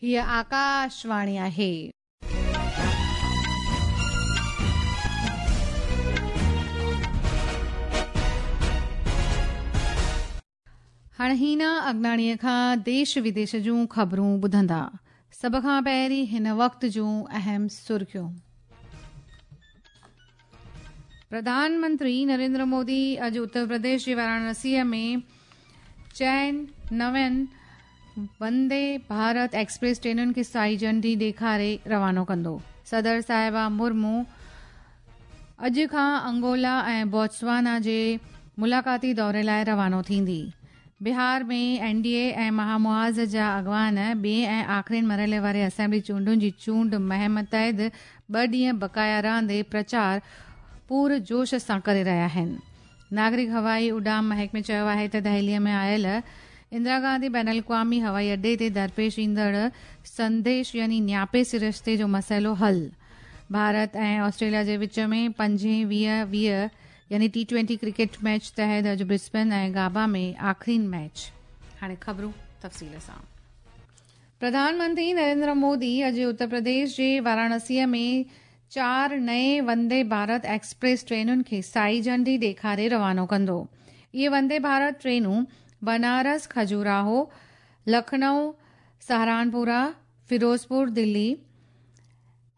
هيء آڪاشواڻي آهي. هاڻ هينا اگناڻيء کان ديش وديش جون خبرون ٻڌندا. سڀ کان پهرين هن وقت جون اهم سرخيون. پرڌان منتري نريندر مودي اڄ اتر پرديش جي واراڻسيء ۾ چئن نوين وندي ڀارت ايڪسپريس ٽرينن کي سائي جهنڊي ڏيکاري روانو ڪندو. صدر صاحبه مرمو اڄ کان انگولا ۽ بوتسوانا جي ملاقاتي دوري لاء روانو ٿيندي. بهار ۾ اين ڊي اي ۽ مها محاذ جا اڳواڻ ٻئين ۽ آخرين مرحلي واري اسيمبلي چونڊن جي چونڊ مهم تحت ٻه ڏينهن بقايا رهندي پرچار پور جوش سان ڪري رهيا آهن. ناگرڪ هوائي اڏام محڪمي چيو آهي ته دهلي ۾ آيل اندرا گانڌي بين الاقوامي هوائي اڏي تي درپيش ايندڙ سنديش يعني نياپي سرشتي جو مسئلو حل ڀارت ۽ آسٽريليا جي وچ ۾ پنجين 20 20 يعني ٽي ٽوئنٽي ڪرڪيٽ ميچ تحت اڄ برسبن ۽ گابا ۾ آخرين ميچ. هاڻي خبرون تفصيل سان. پرڌان منتري نريندر مودي اڄ اتر پرديش جي واراڻسيء ۾ چار نئين وندي ڀارت ايڪسپريس ٽرينن کي سائي جهنڊي ڏيکاري روانو ڪندو. اهي وندي ڀارت ٽرينون بنارس کجوراهو، لکنؤ سهارانپورا، فيروزپور دلي،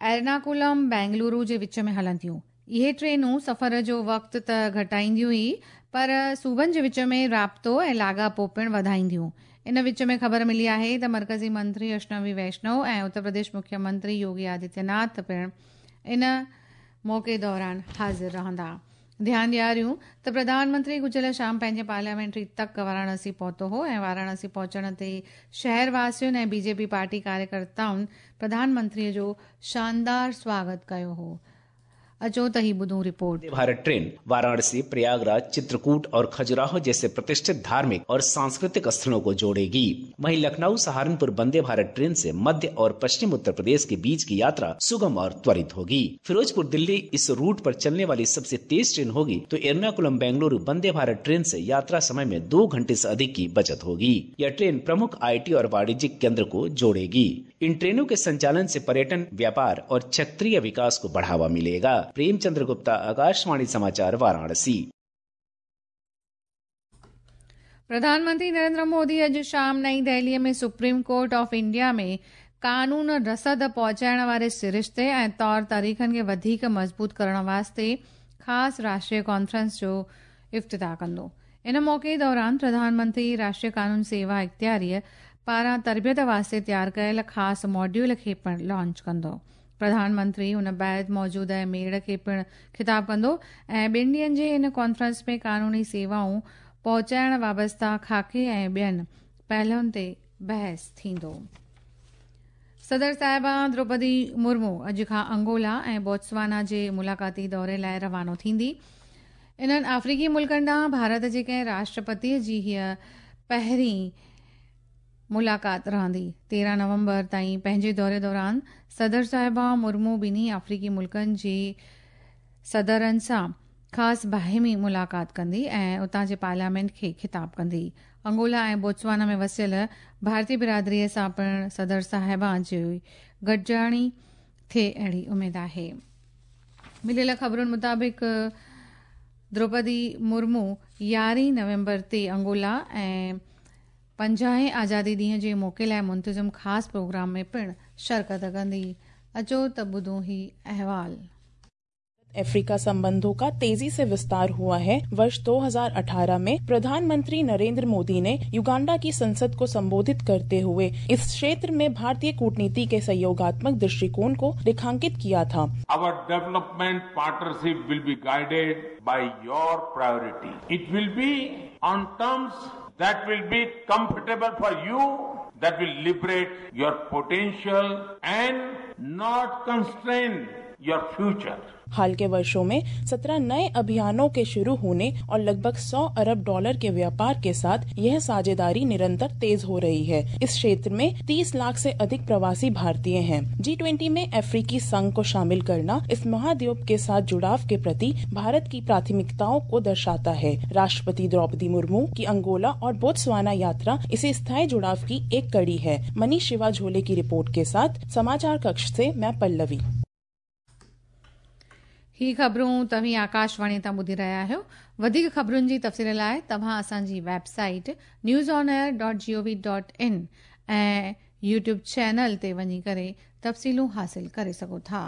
ايرناڪولم بينگلورو جي وچ ۾ هلنديون. اهي ٽرينون سفر جو وقت ته گهٽائينديون ئي پر صوبن جي وچ ۾ رابطو ۽ لاڳاپو پڻ وڌائينديون. ان وچ ۾ خبر ملي آهي ته مرڪزي منتري اشنوي ويشنو ۽ اتر پرديش مکيه منتري يوگي آدتيه ناٿ پڻ ان موقعي دوران حاضر رهندا. ڌيان ڏياريون ته پرڌان منتري گذريل شام پنهنجي پارليامينٽري تڪ واراڻسي پهتو هو ۽ واراڻسي پهچڻ تي شهر واسين ۽ بي جي پي پارٽي ڪاريڪرتائن پرڌان منتري جو شاندار سواگت ڪيو هو. اچو ته هي ٻڌون رپورٽ. وندي ڀارت ٽرين वाराणसी प्रयागराज चित्रकूट और खजुराहो जैसे प्रतिष्ठित धार्मिक और सांस्कृतिक स्थलों को जोड़ेगी। वहीं लखनऊ सहारनपुर वंदे भारत ट्रेन से मध्य और पश्चिम उत्तर प्रदेश के बीच की यात्रा सुगम और त्वरित होगी। फिरोजपुर दिल्ली इस रूट पर चलने वाली सबसे तेज ट्रेन होगी तो एर्नाकुलम बेंगलुरु वंदे भारत ट्रेन से यात्रा समय में 2 घंटे से अधिक की बचत होगी। यह ट्रेन प्रमुख IT और वाणिज्यिक केंद्र को जोड़ेगी। इन ट्रेनों के संचालन से पर्यटन, व्यापार और क्षेत्रीय विकास को बढ़ावा मिलेगा। प्रेमचंद्र गुप्ता, आकाशवाणी समाचार, वाराणसी। प्रधान मंत्री नरेंद्र मोदी अॼु शाम नई दिल्लीअ में सुप्रीम कोर्ट ऑफ इंडिया में कानून रसद पहुचाइण वारे सिरिश्ते ऐं तौर तरीक़नि खे वधीक मज़बूत करण वास्ते ख़ासि राष्ट्रीय कॉन्फ्रेंस जो इफ्तिताह कंदो। इन मौक़े दौरान प्रधानमंत्री राष्ट्रीय कानून सेवा इख़्तियारीअ पारां तरबियत वास्ते तयार कयल ख़ासि मॉड्यूल खे पिणु लॉन्च कंदो। प्रधानमंत्री उन बाद मौजूदा मेड़ खे पिणु ख़िताब कंदो ऐं ॿिनि ॾींहंनि जे हिन कॉन्फ्रेंस में कानूनी सेवाऊं पहुचाइण वाबस्ता खाके ऐं ॿियनि पहलुअनि ते बहस थींदो। सदर साहिबा द्रौपदी मुर्मू अॼु खां अंगोला ऐं बोत्सवाना जे मुलाक़ाती दौरे लाइ रवानो थींदी। इन्हनि आफ़्रीकी मुल्कनि ॾांहुं भारत जे कंहिं राष्ट्रपतीअ जी हीअ पहिरीं मुलाक़ात रहंदी। 13 नवंबर ताईं पंहिंजे दौरे दौरान सदर साहिबा मुर्मू ॿिन्ही आफ़्रीकी मुल्कनि जे सदरनि सां ख़ासि बाहिमी मुलाक़ात कंदी ऐं उतां जे पार्लियामेंट खे ख़िताब कंदी। अंगोला ऐं बोत्सवाना में वसियल भारतीय बिरादरीअ सां पिणु सदर साहिबा जी गॾिजाणी थिए अहिड़ी उमेद आहे। मिलियल ख़बरुनि मुताबिक़ द्रौपदी मुर्मू 11 नवंबर ते अंगोला ऐं 50 आज़ादी ॾींहं जे मौक़े लाइ मुंतज़िम ख़ासि प्रोग्राम में पिणु शिरकत कंदी। अचो त ॿुधूं ही अहवाल। अफ्रीका संबंधों का तेजी से विस्तार हुआ है। वर्ष 2018 में प्रधानमंत्री नरेंद्र मोदी ने युगांडा की संसद को संबोधित करते हुए इस क्षेत्र में भारतीय कूटनीति के सहयोगात्मक दृष्टिकोण को रेखांकित किया था। Our development partnership will be guided by your priority. It will be on terms that will be comfortable for you, that will liberate your potential and not constrain your future. हाल के वर्षों में 17 नए अभियानों के शुरू होने और लगभग 100 अरब डॉलर के व्यापार के साथ यह साझेदारी निरंतर तेज हो रही है। इस क्षेत्र में 30 लाख से अधिक प्रवासी भारतीय हैं। जी-20 में अफ्रीकी संघ को शामिल करना इस महाद्वीप के साथ जुड़ाव के प्रति भारत की प्राथमिकताओं को दर्शाता है। राष्ट्रपति द्रौपदी मुर्मू की अंगोला और बोत्सवाना यात्रा इसी स्थायी जुड़ाव की एक कड़ी है। मनीष शिवा झोले की रिपोर्ट के साथ समाचार कक्ष से मैं पल्लवी। ही ख़बरूं तव्हीं आकाशवाणी तां ॿुधी रहिया आहियो। वधीक ख़बरुनि जी तफ़सील लाइ तव्हां असांजी website newsonair.gov.in ऐं यूट्यूब चैनल ते वञी करे तफ़सीलूं हासिल करे सघो था।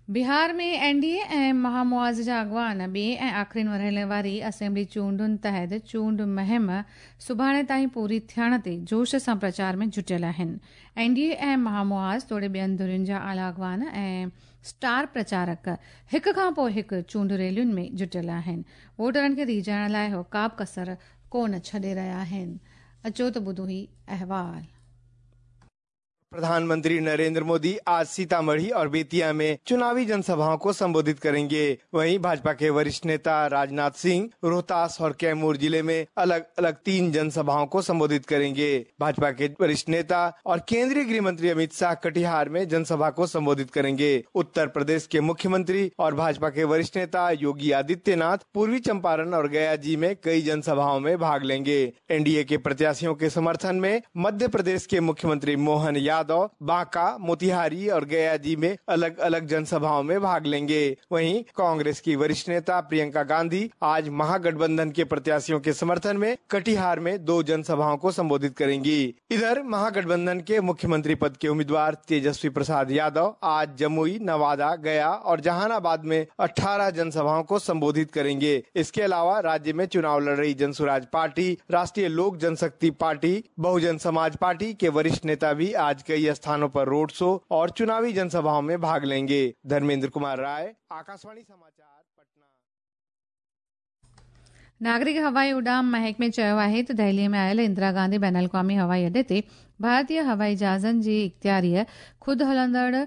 बिहार में एनडीए ऐं महामुआज़ जा अॻवान ॿिए ऐं आख़िरीन मरहले वारी असेंबली चूंडुनि तहत चूंड मुहिम सुभाणे ताईं पूरी थियण ते जोश सां प्रचार में जुटियल आहिनि। एनडीए ऐं महामुआज़ तोड़े ॿियनि धुरियुनि जा आला अॻवान ऐं स्टार प्रचारक हिक खां पोइ हिकु चूंड रैलियुनि में जुटियल आहिनि। वोटरनि खे रीझाइण लाइ हू का बि कसर कोन छॾे रहिया आहिनि। अचो त ॿुधो ही अहवाल। प्रधानमंत्री नरेंद्र मोदी आज सीतामढ़ी और बेतिया में चुनावी जनसभाओं को संबोधित करेंगे। वहीं भाजपा के वरिष्ठ नेता राजनाथ सिंह रोहतास और कैमूर जिले में अलग अलग 3 जनसभाओं को संबोधित करेंगे। भाजपा के वरिष्ठ नेता और केंद्रीय गृह मंत्री अमित शाह कटिहार में जनसभा को संबोधित करेंगे। उत्तर प्रदेश के मुख्यमंत्री और भाजपा के वरिष्ठ नेता योगी आदित्यनाथ पूर्वी चंपारण और गया जी में कई जनसभाओं में भाग लेंगे। एनडीए के प्रत्याशियों के समर्थन में मध्य प्रदेश के मुख्यमंत्री मोहन यादव बांका, मोतिहारी और गया जी में अलग अलग जनसभाओं में भाग लेंगे। वहीं कांग्रेस की वरिष्ठ नेता प्रियंका गांधी आज महागठबंधन के प्रत्याशियों के समर्थन में कटिहार में 2 जनसभाओं को संबोधित करेंगी। इधर महागठबंधन के मुख्यमंत्री पद के उम्मीदवार तेजस्वी प्रसाद यादव आज जमुई, नवादा, गया और जहानाबाद में 18 जनसभाओं को संबोधित करेंगे। इसके अलावा राज्य में चुनाव लड़ रही जनसुराज पार्टी, राष्ट्रीय लोक जनशक्ति पार्टी, बहुजन समाज पार्टी के वरिष्ठ नेता भी आज कई स्थानों पर रोड शो और चुनावी जनसभाओं में भाग लेंगे। धर्मेंद्र कुमार राय, आकाशवाणी समाचार, पटना। नागरिक हवाई उड़ाम महकमे चयो आहे त दिल्लीअ में आयल इंदिरा गांधी बैन अल-अक़वामी हवाई अॾे ते भारतीय हवाई जहाज़नि जी इख़्तियारीअ ख़ुदि हलंदड़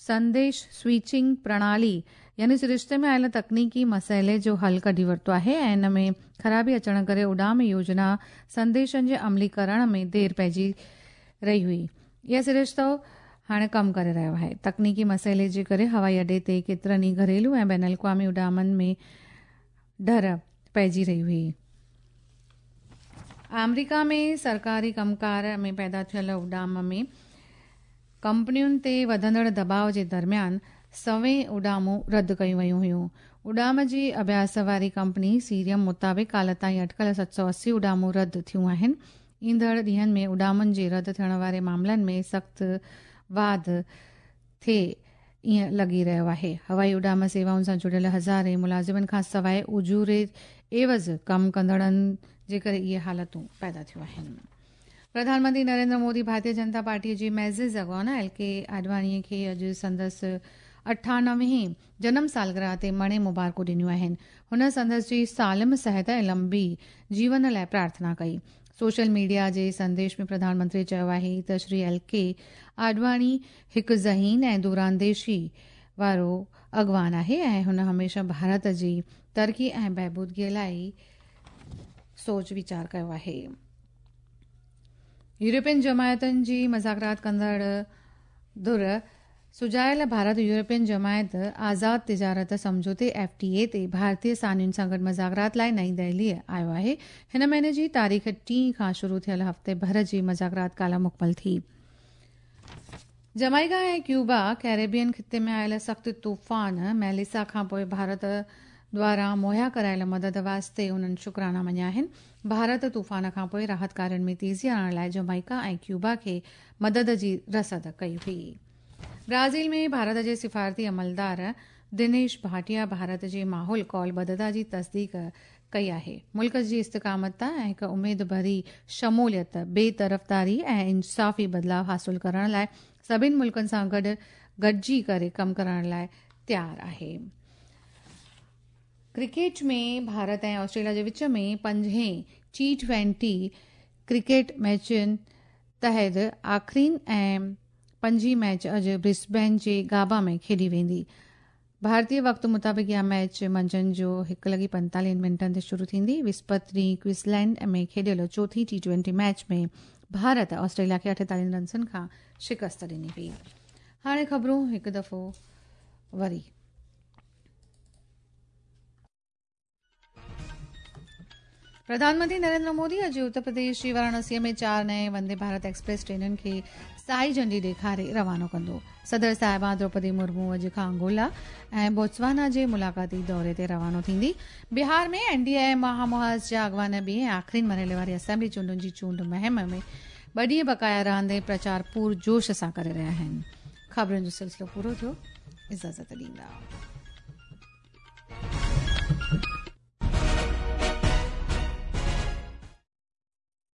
संदेश स्विचिंग प्रणाली यानी सरिश्ते में आयल तकनीकी मसइले जो हल कढी वरितो आहे ऐं इन में ख़राबी अचण करे उड़ाम योजना संदेशनि जे अमलीकरण में देरि पइजी रही हुई। इहो सरिश्तो हाणे कमु करे रहियो आहे। तकनीकी मसइले जे करे हवाई अॾे ते केतिरनि ई घरेलू ऐं बैन अल-अक़वामी उड़ामनि में ढर पइजी रही हुई। आमेरिका में सरकारी कमकार में पैदा थियल उड़ाम में कंपनियुनि ते वधंदड़ दबाव जे दरमियान सवें उड़ामूं रद्द कयूं वयूं हुयूं। उड़ाम जी अभ्यास वारी कंपनी सीरियम मुताबिक़ काल्ह ताईं अटकल 780 उड़ामूं रद्द थियूं आहिनि। ईंदड़ ॾींहंनि में उड़ामनि जे रद्द थियण वारे मामलनि में सख़्तु वाध थिए ईअं लॻी रहियो आहे। हवाई उड़ाम सेवाउनि सां जुड़ियल हज़ारे मुलाज़िमनि खां सवाइ उजूरे एवज़ कमु कंदड़नि जे करे इहे हालतूं पैदा थियूं आहिनि। प्रधानमंत्री नरेंद्र मोदी भारतीय जनता पार्टीअ जी मैज़िज़ अॻवान एल के आडवाणीअ खे अॼु संदसि 98वें जनम सालगिरह ते मणे मुबारकूं ॾिनियूं आहिनि। हुन संदसि जी सालिम सिहत ऐं लंबी जीवन लाइ प्रार्थना कई। सोशल मीडिया जे संदेश में प्रधानमंत्री चयो आहे त श्री एल के आडवाणी हिकु ज़हीन ऐं दूरांदेशी वारो अॻवान आहे ऐं हुन हमेशह भारत जी तरक़ी ऐं बहबूदगीअ लाइ सोच वीचार कयो आहे। यूरोपियन जमायतुनि जी मज़ाकरात कंदड़ धुर सुजायल भारत यूरोपियन जमायत आज़ाद तिजारत सम्झौते एफटीए ते भारतीय सानियुनि सां गॾु मज़ाकरात लाइ नई दिल्लीअ आयो आहे। हिन महीने जी तारीख़ 3 खां शुरू थियल हफ़्ते भर जी मज़ाकरात काल्ह मुकमल थी। जमाइका ऐं क्यूबा कैरेबियन ख़िते में आयल सख़्तु तूफ़ान मेलिसा खां पोइ भारत द्वारा मुहैया करायल मदद वास्ते उन्हनि शुक्राना मञिया आहिनि। भारत तूफ़ान खां पोइ राहत कार्यनि में तेज़ी आणण लाइ जमाइका ऐं क्यूबा खे मदद जी रसद कई हुई। ब्राज़ील में भारत जे सिफारती अमलदार दिनेश भाटिया भारत जे माहौल कौलबद्धता जी तस्दीक कई आहे। मुल्क जी इस्तिकामत ऐं हिकु उमेद भरी शमूलियत, बेतरफ़दारी ऐं इंसाफ़ी बदिलाव हासिल करण लाइ सभिनी मुल्कनि सां गॾु गॾिजी करे कमु करण लाइ तयारु आहे। ڪرڪيٽ ۾ ڀارت ۽ آسٽريليا جي وچ ۾ پنجين ٽي 20 ڪرڪيٽ ميچن تحت آخرين ۽ پنجين ميچ اڄ برسبين جي گابا ۾ کيڏي ويندي. ڀارتي وقت مطابق اها ميچ منجهند جو 1:45 تي شروع ٿيندي. وسپت ڏينهن ڪوئنزلينڊ ۾ کيڏيل چوٿين ٽي 20 ميچ ۾ ڀارت آسٽريليا کي 48 رنسن کان شڪست ڏني هئي. هاڻي خبرون هڪ دفعو وري. پرڌان منتري نريندر مودي اڄ اتر پرديش جي واراڻسي ۾ 4 نئين وندي ڀارت ايڪسپريس ٽرينن کي سائي جهنڊي ڏيکاري روانو ڪندو. صدر صاحبه دروپدي مرمو اڄ کان انگولا ۽ بوتسوانا جي ملاقاتي دوري تي روانو ٿيندي. بهار ۾ اين ڊي اي ۽ مهامحاذ جا اڳواڻ ٻئي ۽ آخرين مرحلي واري اسيمبلي چونڊن جي چونڊ مهم ۾ 2 ڏينهن بقايا رهندي پرچار پور جوش سان ڪري رهيا آهن. خبرن جو سلسلو پورو ٿيو. اجازت ڏيندا.